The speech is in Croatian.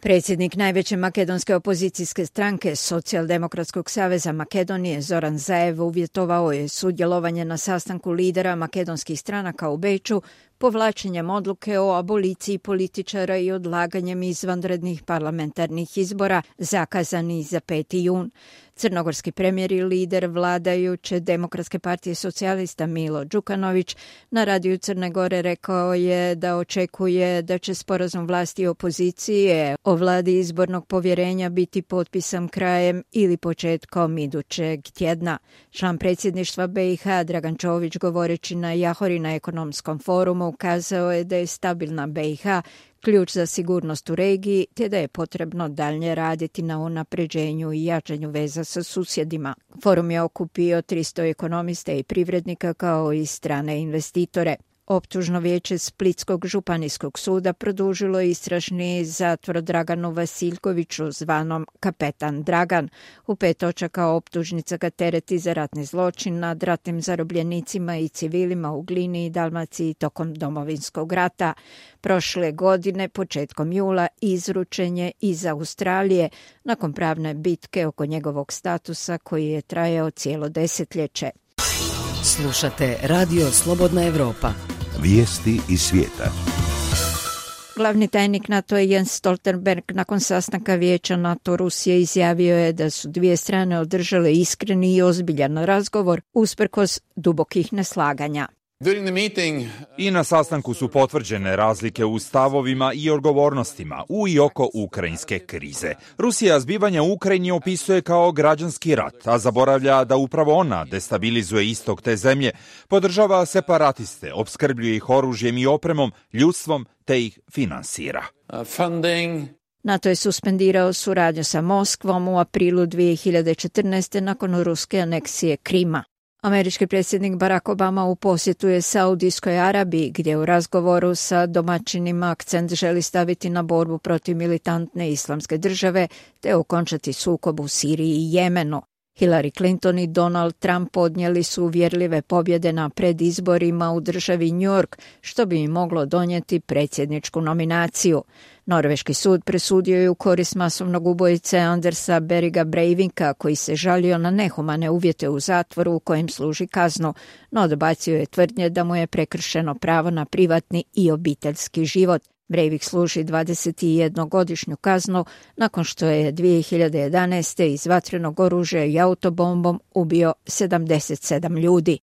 Predsjednik najveće makedonske opozicijske stranke Socijaldemokratskog saveza Makedonije Zoran Zaev uvjetovao je sudjelovanje na sastanku lidera makedonskih stranaka u Beču povlačenjem odluke o aboliciji političara i odlaganjem izvanrednih parlamentarnih izbora zakazani za 5. jun. Crnogorski premijer i lider vladajuće Demokratske partije socijalista Milo Đukanović na radiju Crne Gore rekao je da očekuje da će sporazum vlasti i opozicije o vladi izbornog povjerenja biti potpisan krajem ili početkom idućeg tjedna. Član predsjedništva BiH Dragan Čović, govoreći na Jahori na ekonomskom forumu, ukazao je da je stabilna BiH ključ za sigurnost u regiji, te da je potrebno dalje raditi na unapređenju i jačanju veza sa susjedima. Forum je okupio 300 ekonomista i privrednika kao i strane investitore. Optužno vijeće Splitskog županijskog suda produžilo istražni zatvor Draganu Vasiljkoviću, zvanom Kapetan Dragan. U 5 točaka optužnica ga tereti za ratni zločin nad ratnim zarobljenicima i civilima u Glini i Dalmaciji tokom Domovinskog rata. Prošle godine, početkom jula, izručen je iz Australije nakon pravne bitke oko njegovog statusa koji je trajao cijelo desetljeće. Slušate Radio Slobodna Evropa. Vijesti iz svijeta. Glavni tajnik NATO-a Jens Stoltenberg nakon sastanka Vijeća NATO-Rusije izjavio je da su dvije strane održale iskreni i ozbiljan razgovor usprkos dubokih neslaganja. I na sastanku su potvrđene razlike u stavovima i odgovornostima u i oko ukrajinske krize. Rusija zbivanja u Ukrajini opisuje kao građanski rat, a zaboravlja da upravo ona destabilizuje istok te zemlje, podržava separatiste, opskrbljuje ih oružjem i opremom, ljudstvom te ih finansira. NATO je suspendirao suradnju sa Moskvom u aprilu 2014. nakon ruske aneksije Krima. Američki predsjednik Barack Obama u posjetu je Saudijskoj Arabiji, gdje u razgovoru sa domaćinima akcent želi staviti na borbu protiv militantne islamske države te okončati sukob u Siriji i Jemenu. Hillary Clinton i Donald Trump podnijeli su uvjerljive pobjede na predizborima u državi New York, što bi im moglo donijeti predsjedničku nominaciju. Norveški sud presudio je u korist masovnog ubojice Andersa Beriga Breivinka, koji se žalio na nehumane uvjete u zatvoru u kojem služi kaznu, no odbacio je tvrdnje da mu je prekršeno pravo na privatni i obiteljski život. Breivik služi 21-godišnju kaznu nakon što je 2011. iz vatrenog oružja i autobombom ubio 77 ljudi.